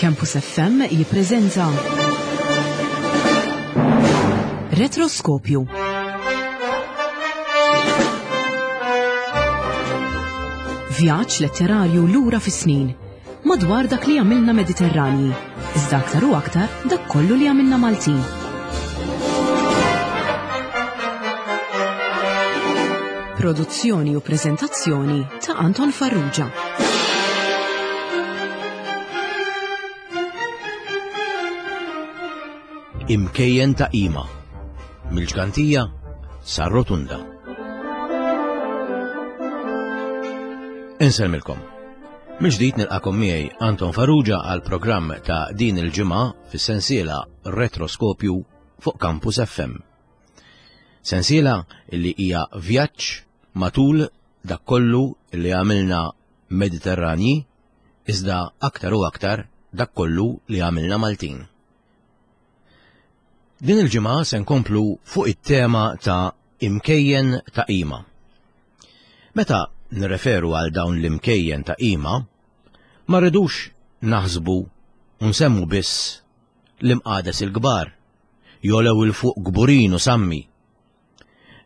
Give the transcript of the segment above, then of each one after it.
Campus FM jippreżenta Retroskopju. Vjaġġ letterarju lura fis-snin madwar dak li għamilna Mediterranji, iżda aktar u aktar dak kollu li għamilna Maltin. Produzzjoni u preżentazzjoni ta' Anton Farrugia. Imkejjen ta' qima. Mill-ġgantija sar-rotunda. Insellmilkom. Mill-ġdid nilqakom miegħi Anton Farrugia għal programm ta' din il-ġimgħa fis-sensiela Retroskopju fuq Campus FM. Sensiela li hija vjaġġ matul dak kollu li għamilna Mediterranji iżda aktar u aktar dak kollu li għamilna Maltin. Din il-ġimgħa se nkomplu fuq it-tema ta' imkejjen ta' qima. Meta nirreferu għal dawn l-imkejjen ta' qima, ma rridux naħsbu u nsemmu biss l-imqades il-kbar, jolew il fuq kburin u sammi.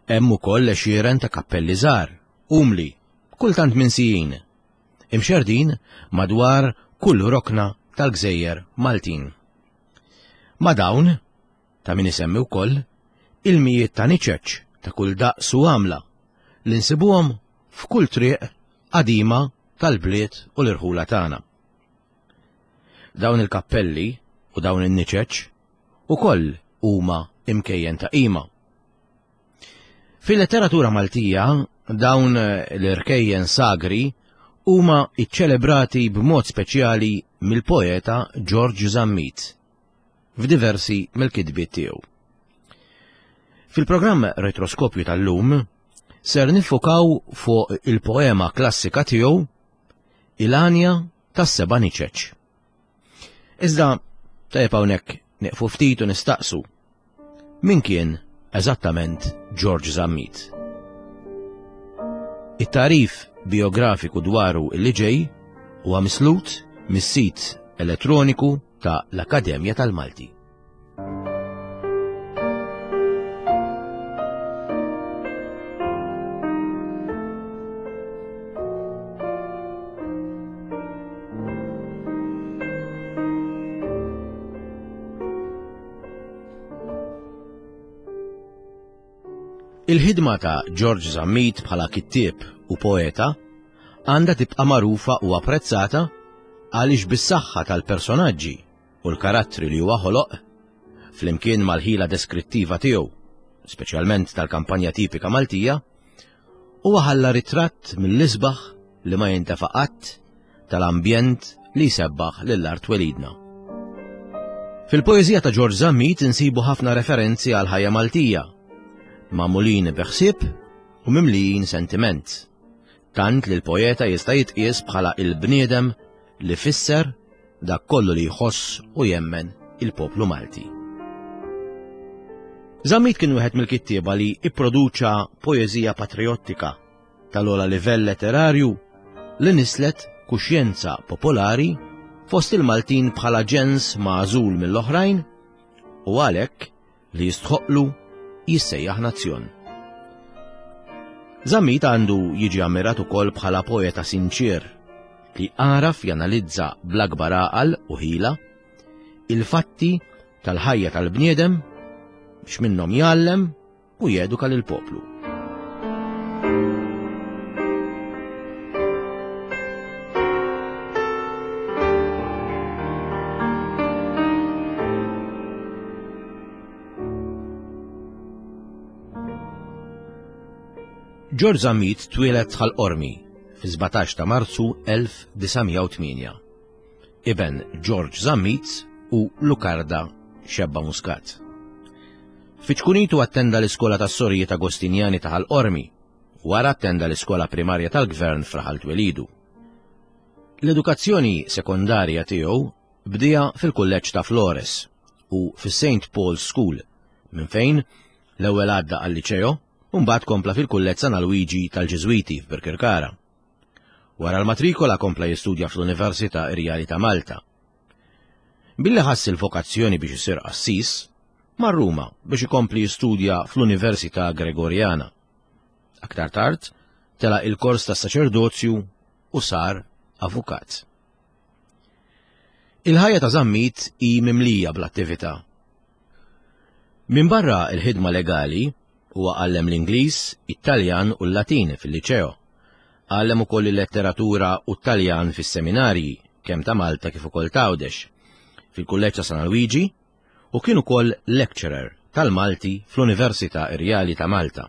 Hemm ukoll għexieren ta' kappelli żgħar, umli, kultant minsijin, imxerrdin madwar kull rokna tal-gżejjer Maltin. Ma' dawn, ta' min isemmi wkoll, il-mijiet ta' niċeċ ta' kull daqs u għamla li nsibuhom f'kull triq qadima tal-bliet u l-irħula tagħna. Dawn il-kappelli u dawn in-niċeċ ukoll huma imkejjen ta' qima. Fil-letteratura Maltija dawn l-irkejjen sagri huma iċċelebrati b'mod speċjali mill-poeta George Zammit f'diversi mill-kitbiet tiegħu. Fil-programm Retroskopju tal-lum ser niffukaw fuq il-poema klassika tiegħu Il-Għanja tas-Seba' Niċeċ. Iżda tajjeb hawnhekk nieqfu ftit u nistaqsu min kien eżattament George Zammit. It-tagħrif biografiku dwaru illi ġej huwa mislut mis-sit elettroniku ta' l-Akkademja tal-Malti. Il-ħidma ta' George Zammit bħala kittieb u poeta għandha tibqa' magħrufa u apprezzata għaliex bis-saħħa tal-personaġġi u l-karattri li huwa ħoloq, flimkien mal-ħila deskrittiva tiegħu, speċjalment tal-kampanja tipika Maltija, huwa ħalla ritratt mill-isbaħ li ma jintefa' qatt tal-ambjent li jsebbaħ lil art twelidna. Fil-poeżija ta' George Zammit insibu ħafna referenzi għal ħajja Maltija, magħmulin bi ħsieb u mimlijin sentiment, tant li l-poeta jista' jitqies bħala il-bniedem li fisser dak kollu li jħoss u jemmen il-poplu Malti. Zammit kien wieħed mill-kittieba li ipproduċa poeżija patriottika tal-ogħla livell letterarju li nislet kuxjenza popolari fost il-Maltin bħala ġens magħżul mill-oħrajn u għalhekk li jistħoqqlu jissejjaħ nazzjon. Zammit għandu jiġi ammirat ukoll bħala poeta sinċier li għaraf janalizza bl-akbar għaqal u ħila il-fatti tal-ħajja tal-bniedem biex minnhom jgħallem u jeduka lill-poplu. George Zammit twieled Ħal Qormi fi-17 ta' Marzu 1908. Iben George Zammit u Lucarda Xebba Muscat. Fi ċkunitu attenda l-iskola tas-Sorijiet Agostinjani ta' Ħal Qormi, wara attenda l-iskola primarja tal-Gvern f'raħal twelidu. L-edukazzjoni sekondarja tiegħu bdieha fil-Kulleġġ ta' Flores u fis-St. Paul's School, minn fejn l-ewwel għadda għal-Liċeo u mbagħad kompla fil-Kulleġġ San Alwiġi tal-Ġiżwiti f'Birkirkara. Wara l-matrikola kompla jistudja fl-Università Irjali ta' Malta. Billi ħass il-vokazzjoni biex isir qassis, mar Ruma biex ikompli jistudja fl-Università Gregorjana. Aktar tard, telaq il-kors tas-saċerdozju u sar avukat. Il-ħajja ta' Zammit hi mimlija bl-attività. Minbarra l-ħidma legali, huwa għallem l-Ingliż, it-Taljan u l-Latin fil-Liċeo. Għallem ukoll il-letteratura u t-Taljan fis-seminarji, kemm ta' Malta kif ukoll t'Għawdex, fil-Kulleġġ ta' San Alwiġi u kien ukoll lecturer tal-Malti fl-Università Irjali ta' Malta.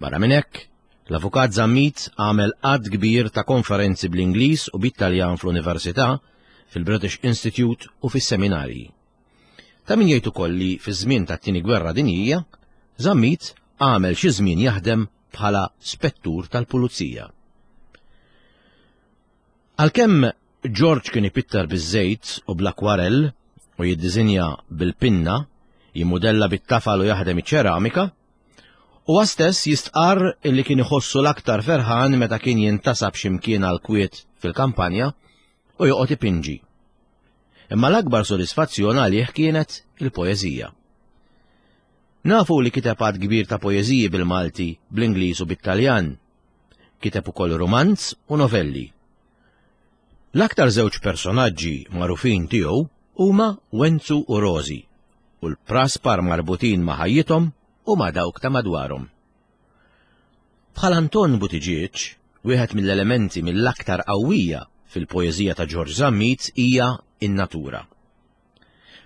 Barra minn hekk, l-Avukat Zammit għamel għadd kbir ta' konferenzi bl-Ingliż u bit-Taljan fl-Università, fil-British Institute u fis-seminarji. Ta' min jgħid ukoll li fiż-żmien tat-Tieni Gwerra Dinjija, Zammit għamel xi żmien jaħdem bħala spettur tal-pulizija. Għalkemm George kien ipitter biż-żejt u bl-akwarell u jiddiżinja bil-pinna, jimmudella bit-tafal u jaħdem iċ-ċeramika, huwa stess jistqarr illi kien iħossu l-aktar ferħan meta kien jintasab xi mkien għall-kwiet fil-kampanja u joqgħod ipinġi. Imma l-akbar sodisfazzjon għalih kienet il-poeżija. Nafu li kiteb għadd kbir ta' poeżiji bil-Malti, bl-Ingliż u bit-Taljan. Kiteb ukoll rumanz u novelli. L-aktar żewġ personaġġi magħrufin tiegħu huma Wenzu u Rożi u l-praspar marbutin ma' ħajjithom u ma' dawk ta' madwarhom. Bħal Anton Buttigieg, wieħed mill-elementi mill-aktar qawwija fil-poeżija ta' Ġorġ Zammit hija n-natura.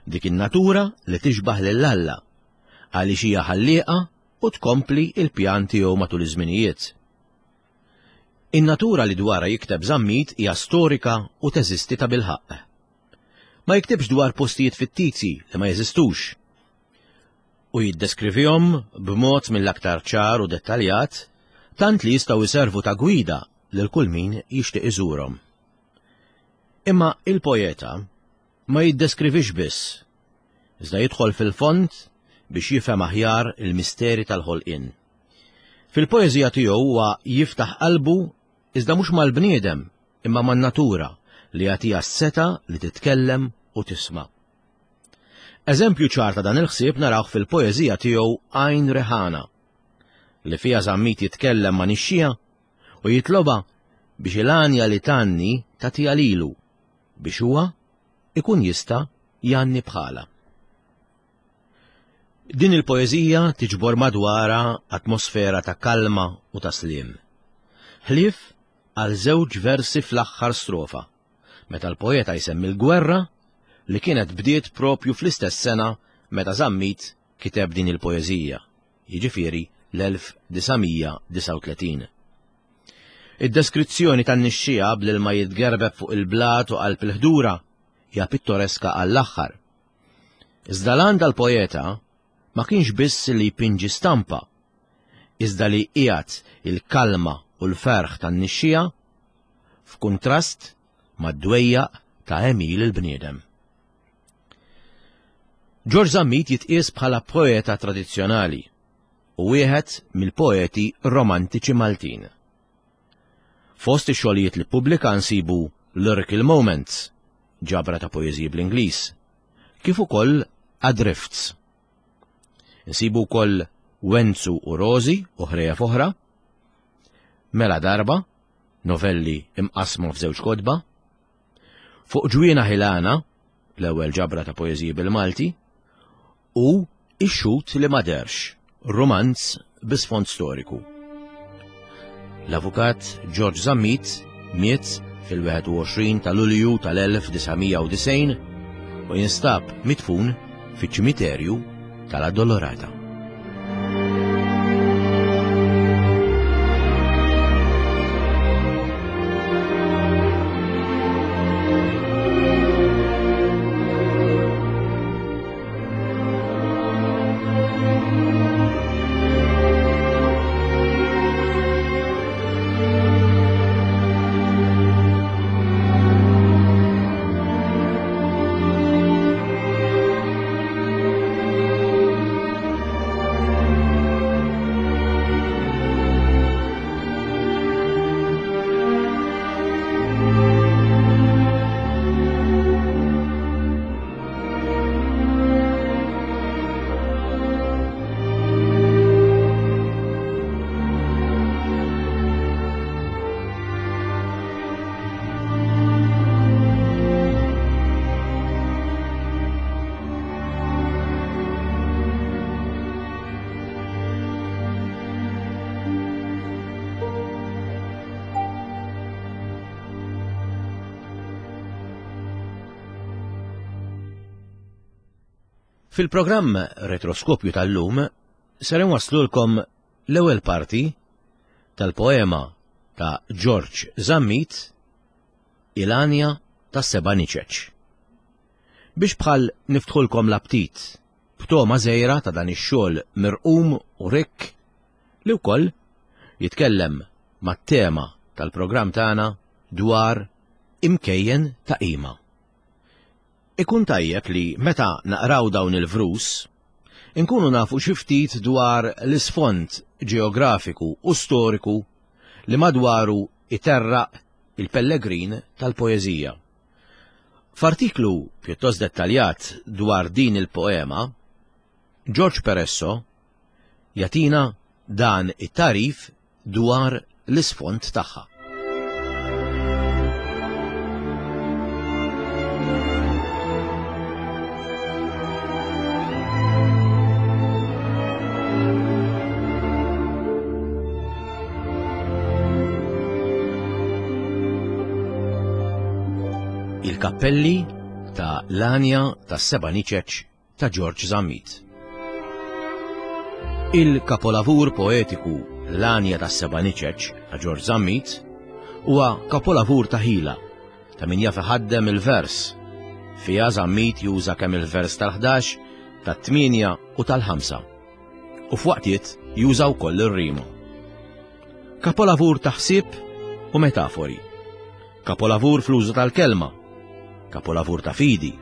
Dik in-natura li tixbah lil Alla, għaliex hija ħallieqa u tkompli l-pjan tiegħu matul iż-żminijiet. In-natura li dwarha jikteb Zammit hija storika u teżisti tabilħaqq. Ma jiktibx dwar postijiet fittizji li ma jeżistux. U jiddeskrivihom b'mod mill-aktar ċar u dettaljat tant li jistgħu jservu ta' gwida lil kull min jixtieq iżurhom. Imma il-poeta ma jiddeskrivix biss, iżda jidħol fil-fond biex jifhem aħjar il-misteri tal-ħolqien. Fil-poeżija tiegħu huwa jiftaħ qalbu iżda mhux mal-bniedem imma man-natura li jagħtiha s-setgħa li titkellem u tisma'. Eżempju ċar ta' dan il-ħsieb narawh fil-poeżija tiegħu Għajn Reħana, li fiha Zammit jitkellem ma' nixxija u jitlobha biex il-għanja li tgħanni tagħtiha lilu biex huwa ikun jista' jgħanni bħalha. Din il-poeżija tiġbor madwarha atmosfera ta' kalma u ta' sliem. Ħlief għal żewġ versi fl-aħħar strofa, meta l-poeta jsemmi l-gwerra li kienet bdiet propju fl-istess sena meta Zammit kiteb din il-poeżija, jiġifieri l-1939. Id-deskrizzjoni tan-nixxiegħa bl-ilma jitgerbeb fuq il-blat u qalb il-ħdura hija pittoreska għall-aħħar. Iżda l-għan tal-poeta ma kienx biss li jpinġi stampa, iżda li jqiegħed il-kalma u l-ferħ tan-nixxiegħa f'kuntrast mad-dwejjaq ta' għemil il-bniedem. Ġorġ Zammit jitqies bħala poeta tradizzjonali u wieħed mill-poeti romantiċi Maltin. Fost ix-xogħlijiet li ppubblika nsibu Lyrical Moments, ġabra ta' poeżiji bl-Ingliż, kif ukoll Adrifts. Insibu wkoll Wenzu u Rożi u ħrejjef oħra, Mela Darba, novelli imqassma f'żewġ kotba, Fuq Ġwiena Ħilana, l-ewwel ġabra ta' poeżiji bil-Malti, u Ix-Xhud li ma Dehrx, rumanz bi sfond storiku. L-Avukat George Zammit miet fil-21 ta' Lulju tal-1990 u jinstab midfun fiċ-ċimiterju tal-Addolorata. Fil-programm Retroskopju tal-lum ser inwasslulkom l-ewwel parti tal-poema ta' Ġorġ Zammit Il-Għanja tas-Seba' Niċeċ. Biex bħal niftħulkom l-aptit b'togħma żgħira ta' dan ix-xogħol mirqum u rikk li wkoll jitkellem mat-tema tal-programm tagħna dwar imkejjen ta' qima. Ikun tajjeb li meta naqraw dawn il-vrus, inkunu nafu xi ftit dwar l-isfond ġeografiku u storiku li madwaru iterraq il-pellegrin tal-poeżija. F'artiklu pjuttost dettaljat dwar din il-poema, George Peresso jagħtina dan it-tagħrif dwar l-isfond tagħha. Il-kappelli ta' l-għanja tas-seba' niċeċ ta' Ġorġ Zammit. Il-kapolavur poetiku L-Għanja tas-Seba' Niċeċ ta' Ġorġ Zammit huwa kapolavur ta' ħila ta' min jaf iħaddem il-vers. Fiha Zammit juża kemm il-vers tal-ħdax, tat-tmienja u tal-ħamsa. U f'waqtiet juża wkoll ir-rima. Kapolavur ta' ħsieb u metafori. Kapolavur fl-użu tal-kelma. Kapolavur ta' fidi.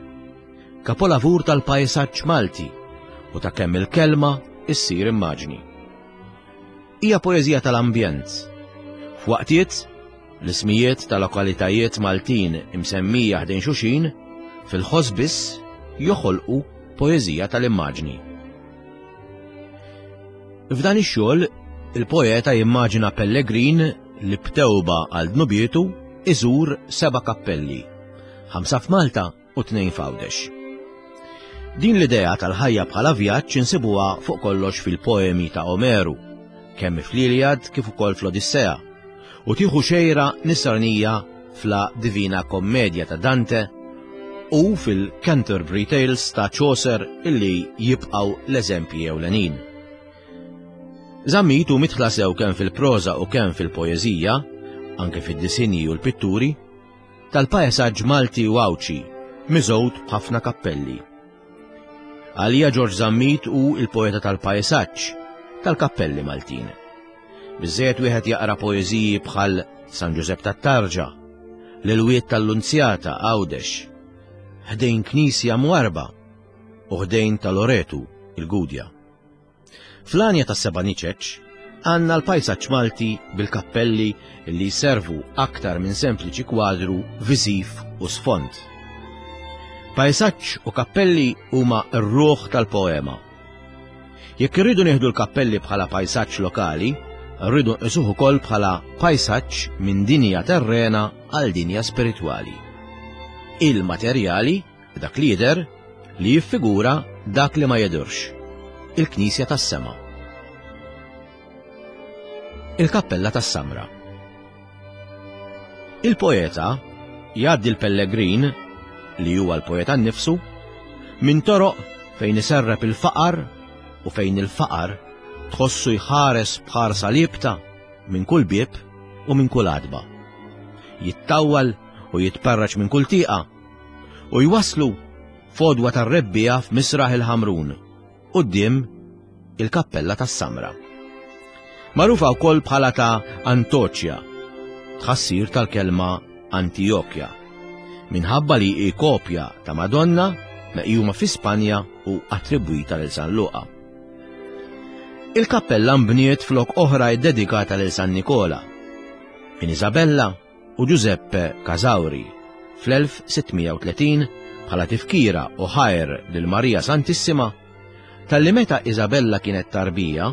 Kapolavur tal-pajsaġġ Malti u ta' kemm il-kelma issir immaġni. Hija poeżija tal-ambjent. F'waqtiet, l-ismijiet ta' lokalitajiet Maltin imsemmija ħdejn xulxin fil-ħoss biss joħolqu poeżija tal-immaġni. F'dan ix-xogħol, il-poeta jimmaġina pellegrin li b'tewba għal dnubietu iżur seba' kappelli, ħamsa f'Malta u tnejn f'Għawdex. Din l-idea tal-ħajja bħala vjaġġ insibuha fuq kollox fil-poemi ta' Omeru, kemm fl-Iliad kif ukoll fl-Odissea, u tieħu xejra nisranija f'La Divina Commedia ta' Dante u fil-Canterbury Tales ta' Chaucer illi jibqgħu l-eżempji ewlenin. Zammit hu midħla sew kemm fil-proża u kemm fil-poeżija, anke fid-disinji u l-pitturi, tal-paesaġġ Malti u Għawdxi, miżgħud b'ħafna kappelli. Għalija Ġorġ Zammit hu l-poeta tal-paesaġġ, tal-kappelli Maltin. Biżżejjed wieħed jaqra poeżiji bħal San Ġużepp tat-Tarġa, L-Ilwiet tal-Lunzjata Għawdex, Ħdejn Knisja Mwarrba u Ħdejn ta' Loretu, il-Gudja. Fl-għanja tas-seba' niċeċ għandna l-pajsaġġ Malti bil-kappelli li jservu aktar minn sempliċi kwadru viżiv u sfond. Pajsaġġ u kappelli huma r-ruħ tal-poema. Jekk irridu nieħdu l-kappelli bħala pajsaġġ lokali, rridu nqisuh ukoll bħala pajsaġġ minn dinja terrena għal dinja spiritwali. Il-materjali Dak li jidher li jiffigura dak li ma jidhirx, il-Knisja tas-Sema. Il-Kappella tas-Samra. Il-poeta jgħaddi l-pellegrin, li huwa l-poeta nnifsu, minn toroq fejn iserrep il-faqar u fejn il-faqar tħossu jħares b'ħarsa liebta minn kull bieb u minn kull għatba. Jittawwal u jitparraġ minn kull tieqa u jwasslu f'għodwa tar-rebbiegħa f'Misraħ il-Ħamrun, quddiem il-Kappella tas-Samra. Magħrufa wkoll bħala ta' Antoċja, tħassir tal-kelma Antijokja, minħabba li hi kopja ta' Madonna meqjuma fi Spanja u attribwita lil San Luqa. Il-kappella nbniet flok oħra ddedikata lil San Nikola, minn Isabella u Giuseppe Casauri fl-1630 bħala tifkira u ħajr lil Marija Santissima talli meta Isabella kienet tarbija,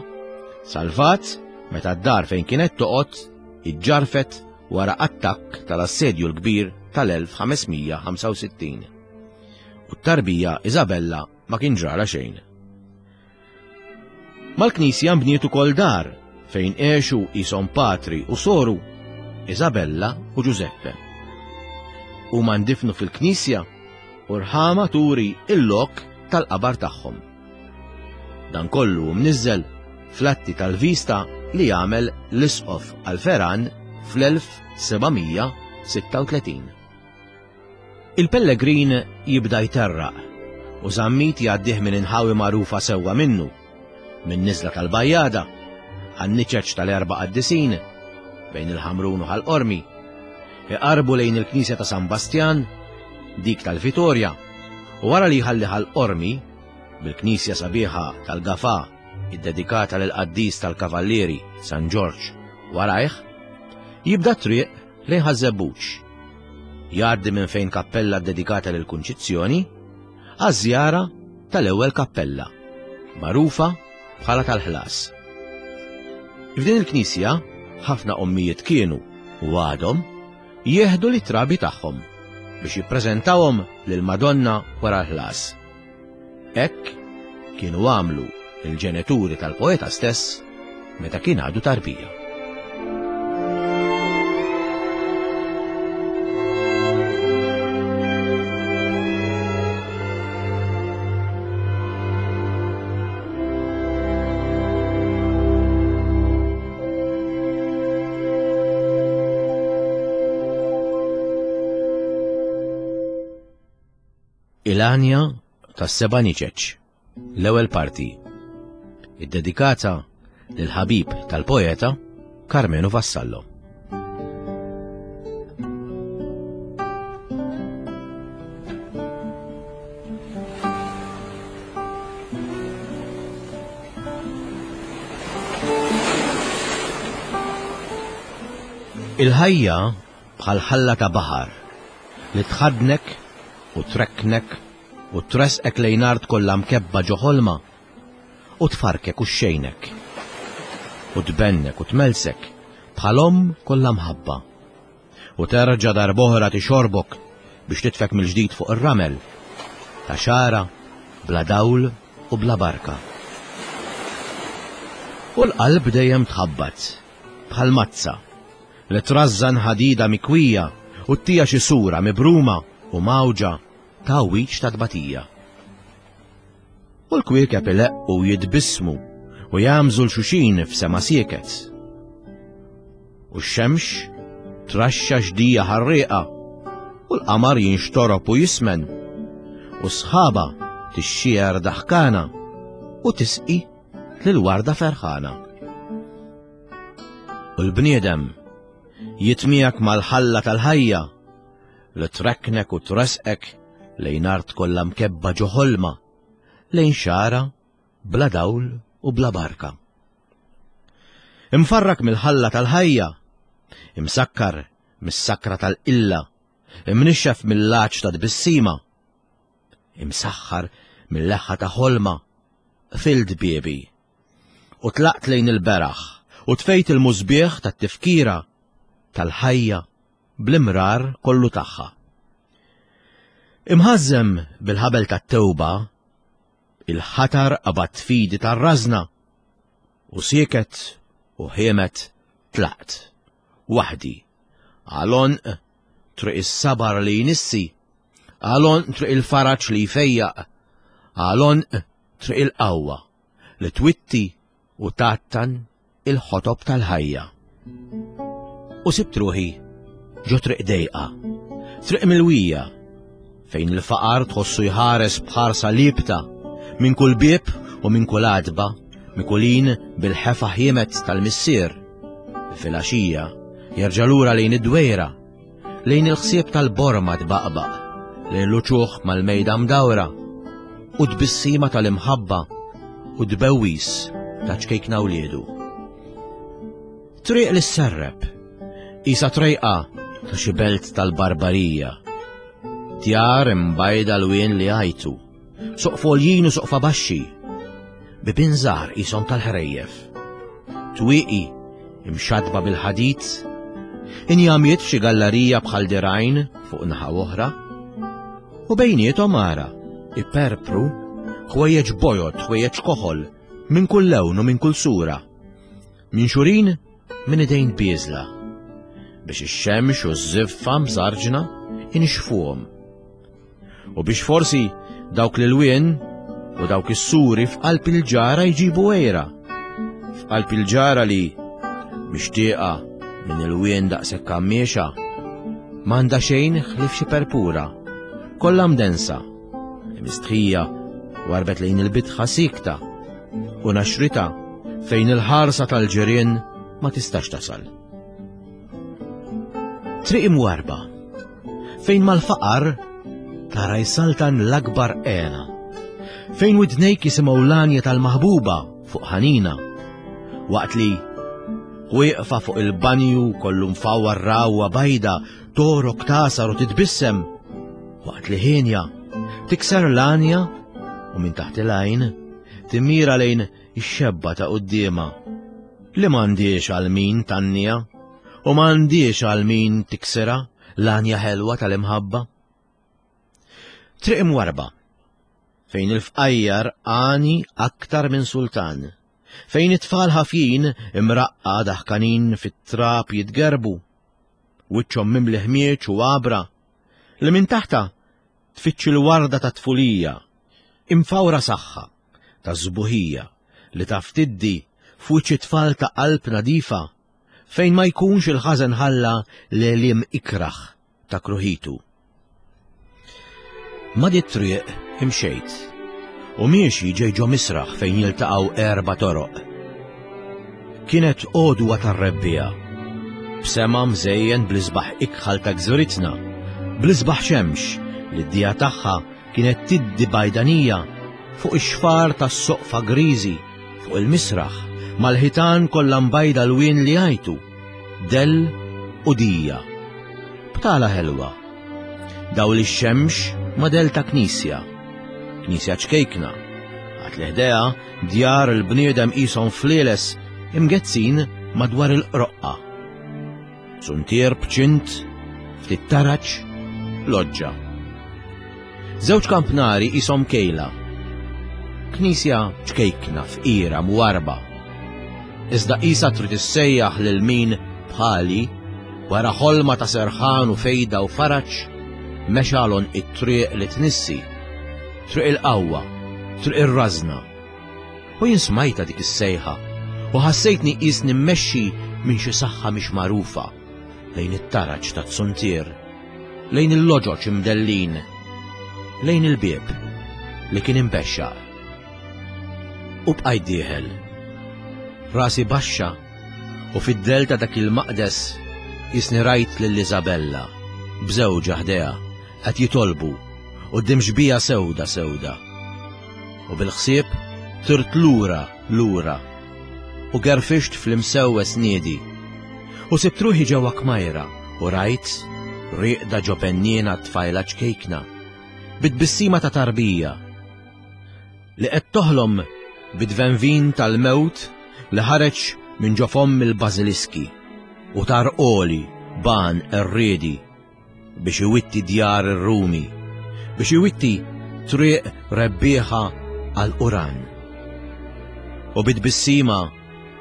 salvat meta d-dar fejn kienet toqgħod iġġarfet wara attakk tal-Assedju l-Kbir tal-1565. U t-tarbija Isabella ma kien ġralha xejn. Mal-knisja nbniet ukoll dar fejn għexu qishom patri u soru Isabella u Giuseppe. Huma ndifnu fil-knisja u rħama turi il-lok tal-qabar tagħhom. Dan kollu mniżżel fl-atti tal-vista li għamel l-Isqof Alferan fl-1736. Il-pellegrin jibda jterraq u Zammit jgħaddih minn inħawi magħrufa sewwa minnu, minn niżla tal-Bajjada, għan-niċeċ tal-Erba' Qaddisin, bejn il-Ħamrun u Ħal Qormi, iqarrbu lejn il-Knisja ta' San Bastjan, dik tal-Vitorja, u wara li jħalli Ħal Qormi, bil-knisja sabiħa tal-Gafà iddedikata lill-qaddis tal-Kavallieri San Ġorġ warajh, jibda t-triq lejn Ħaż-Żebbuġ. Jgħaddi minn fejn kappella ddedikata lill-Kunċizzjoni għaż-żjara tal-ewwel kappella, magħrufa bħala tal-ħlas. F'din il-knisja ħafna ommijiet kienu u għadhom jieħdu l-trabi tagħhom biex jippreżentawhom lill-Madonna wara l-ħlas. Hekk kienu għamlu l-ġenituri tal-poeta stess meta kien għadu tarbija. Il-għanja tas-seba' niċeċ, l-ewwel parti, iddedikata lill-ħabib tal-poeta Karmenu Vassallo. Il-ħajja bħal ħalla ta' baħar li tħaddnek u trekknek u tressqek lejn art kollha mkebba ġo ħolma u tfarrkek u xxejnek u tbennek u tmellsek bħal omm kollha mħabba u terġa' darb'oħra tixorbok biex titfek mill-ġdid fuq ir-ramel ta' xagħra bla dawl u bla barka. U l-qalb dejjem tħabbat bħal mazza li trażżan ħadida mikwija u ttija xi sura mibruma u mgħawġa ta' għwiġ ta' tbatija. U l-kwiekeb ileqqu u jitbissmu u jagħmżu 'l xuxin f'sema sieket. U x-xemx traxxa xdija ħarrieqa u l-qamar jinxtorob u jismen u s-sħaba tixxiegħer daħkana u tisqi lil warda ferħana. U l-bniedem jitmiegħek mal-ħalla tal-ħajja li trekknek u tresqek lejn art kollha mkebba ġo ħolma, lejn xagħra bla dawl u bla barka. Imfarrak mill-ħalla tal-ħajja, imsakkar mis-sakra tal-qilla, imnixxef mill-għatx ta' tbissima, imsaħħar mill-leħħa ta' ħolma, qfilt biebi u tlaqt lejn il-beraħ u tfejt il-musbieħ tat-tifkira tal-ħajja bl-imrar kollu tagħha. Imħażżem bil-ħabel tat-tewba, il-ħatar qabad fidi tar-rażna u sieket u ħiemet tlaqt, waħdi, għal għonq triq is-sabar li jnissi, għal għonq triq il-faraġ li jfejjaq, għal għonq triq il-qawwa li twitti u tgħattan il-ħotob tal-ħajja. U sibt ruħi ġo triq dejqa, triq milwija, fejn il-faqar tħossu jħares b'ħarsa libta minn kull bieb u minn kull għatba, mikulin bil-ħefa ħiemet tal-missier. Fil-għaxija jerġa' lura lejn id-dwejra lejn il-ħsieb tal-borma tbaqbaq, lejn l-uċuħ mal-mejda mdawra, u tbissima tal-imħabba u tbewwis ta' ċkejkna wliedu. Triq li sserreb, isa trejqa ta' xi belt tal-barbarija. Djar imbajda l-wien li għajtu, Soqfa għoljin u soqfa baxxi, bibien żgħar qishom tal-ħrejjef. Twieqi imxaddba bil-ħadid, injamiet f'xi gallarija bħal dirgħajn fuq naħa oħra, u bejniethom ara iperpru ħwejjeġ bojod, ħwejjeġ koħol, minn kull lewn u minn kull sura, minxurin minn idejn bieżla, biex ix-xemx u ż-żiffa mżarġna inixfuhom. U biex forsi dawk l-ilwien U dawk is-suri f'qalb il-ġara jġibu għejra. F'qalb il-ġara li mixtieqa minn il-wien daqshekk għammiexa, m'għandha xejn ħlief xi perpura, kollha mdensa, mistħija warbet lejn il-bitħa sikta u naxrita fejn il-ħarsa tal-ġirien ma tistax tasal. Triq imwarba, fejn mal-faqar tara jsaltan l-akbar għena, fejn widnejk jisimgħu l-għanja tal-maħbuba fuq ħanina, waqt li wieqfa fuq il-banju kollu mfawwar rawwa bajda torok tasar u titbissem, waqt li ħinja tikser l-għanja u minn taħt il-għajn timmira lejn ix-xebba ta' quddiemha li m'għandhiex għal min tannija u m'għandhiex għal min tiksirha l-għanja ħelwa tal-imħabba. Triq imwarba, fejn il-fqajjar għani aktar minn sultan, fejn it-tfal ħafjin imraqqa daħkanin fit-trab jitgerbu, wiċċhom mimli ħmieġ u għabra, li minn taħta tfittx il-warda ta' tfulija, imfawra saħħa, ta' sbuħija li taf tiddi f'wiċċ it-tfal ta' qalb nadifa fejn ma jkunx il-ħażen ħalla l-għeliem ikrah ta' kruħitu. Ma' di triq imxejt u miexi ġej ġo misraħ fejn jiltaqgħu erba' toroq. Kienet għodwa tar-rebbiegħa, b'sema mżejjen bl-isbaħ ikħal ta' gżiritna, bl-isbaħ xemx li d-dija tagħha kienet tiddi bajdanija fuq ix-xfar tas-soqfa griżi fuq il-misraħ mal-ħitan kollha mbajda lwien li għajtu, dell u dija. Btala ħelwa. Dawl ix-xemx ma' dell ta' knisja. Knisja ċkejkna. Għat li ħdejha djar il-bniedem qishom flieles imgezzin madwar il-qroqqa. Suntier b'ċint, ftit taraġ, loġġa. Żewġ kampnari qishom kejla. Knisja ċkejkna fqira mwarba. Iżda qisha trid issejjaħ lil min bħali wara ħolma ta' serħan u fejda u faraġ mexa l it-triq li tnissi, triq il-qawwa, triq ir-rażna. U jien smajtha dik is-sejħa u ħassejtni qisni mmexxi minn xi saħħa mhix magħrufa lejn it-taraġ tat-suntier, lejn il-loġoġ imdellin, lejn il-bieb li kien imbexxaq. U bqajt dieħel, rasi baxxa u fid-dell ta' dak il-maqdes qisni rajt lil Isabella b'żewġha ħdejha qed jitolbu quddiem xbieha sewda sewda. U bil-ħsieb tirt lura lura u gerfixt fl-imsewwes niedi. U sibt ruħi ġewwa kmajra u rajt rieqda ġo penniena tfajla ċkejkna bi tbissima ta' tarbija li qed toħlom bit-tvenvin tal-mewt li ħareġ minn ġo fomm il-bażiliski u tar għoli b'għan qerriedi biex iwitti djar ir-Rumi, biex iwitti triq rebbieħa għal Uran. U bit-tbissima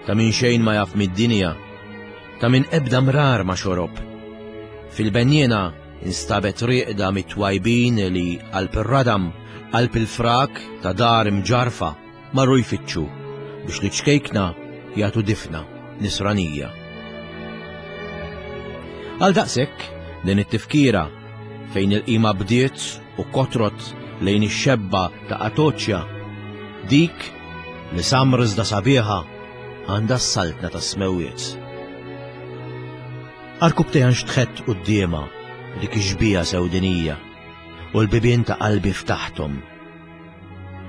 ta' min xejn ma jaf mid-dinja, ta' min ebda mrar ma xorob. Fil-benniena instabet rieqda mit-twajbin li qalb ir-radam, qalb il-frak ta' dar imġarrfa, marru jfittxu biex liċ-ċkejkna jagħtu difna nisranija. Għal daqshekk din it-tifkira fejn il-qima bdiet u kotrot lejn ix-xebba ta' Atoċja, dik li samr iżda sabiħa għandha s-saltna tas-smewwiet. Arkubtejha nxtħett quddiemha dik ix-xbieha sewdinija u l-bibien ta' qalbi ftaħthom.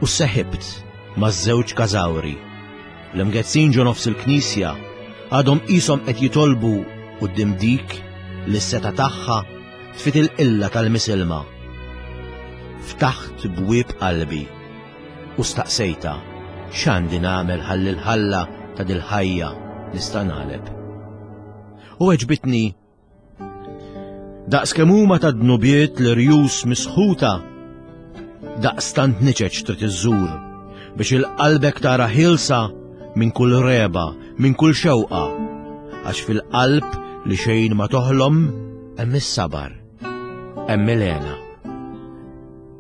U sseħibt maż-żewġ każawri. L-imgezzin ġo nofs il-knisja għadhom qishom qed jitolbu quddiem dik li s-setgħa tagħha tfit il-qilla tal-misilma. Ftaħt bwieb qalbi u staqsejtha x'għandi nagħmel ħalli l-ħalla ta' dil-ħajja nista' nagħleb. U għeġbitni Daqs kemm huma ta' dnubiet l-irjus misħuta, daqstant niċeċ trid iżżur biex il-qalbek tara ħielsa minn kull reba, minn kull xewqa, għax fil-qalb li xejn ma toħlom hemm is-sabar, hemm il-hena.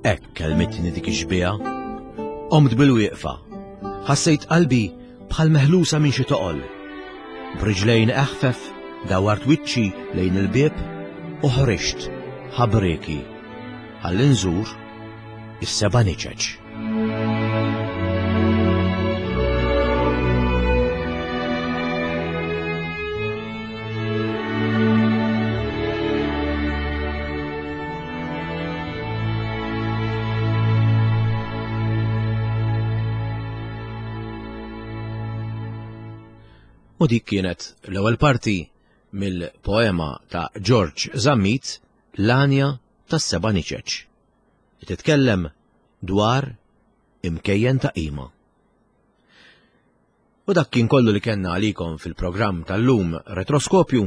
Hekk kelmitni dik ix-xbieha. Qomt bil-wieqfa. Ħassejt qalbi bħal meħlusa minn xi toqol. B'riġlejn eħfef dawwart wiċċi lejn il-bieb u ħriġt ħabrieki ħalli nżur is-seba' niċeċ. U dik kienet l-ewwel parti mill-poema ta' George Zammit L-Għanja tas-Seba' Niċeċ. Li titkellem dwar imkejjen ta' qima. U dak kien kollu li kellna għalikom fil-programm tal-lum Retroskopju.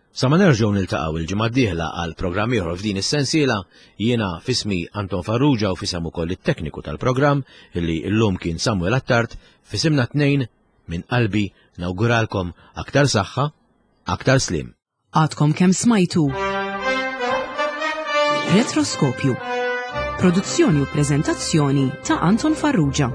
Sa ma nerġgħu niltaqgħu il-ġimgħa d-dieħla għal programm ieħor f'din is-sensiela, jiena f'ismi Anton Farrugia u f'isem ukoll it-tekniku tal-programm illi llum kien Samuel Attard, f'isimna tnejn minn qalbi nawguralkom aktar saħħa, aktar sliem. Għadkom kemm smajtu Retroskopju. Produzzjoni u preżentazzjoni ta' Anton Farrugia.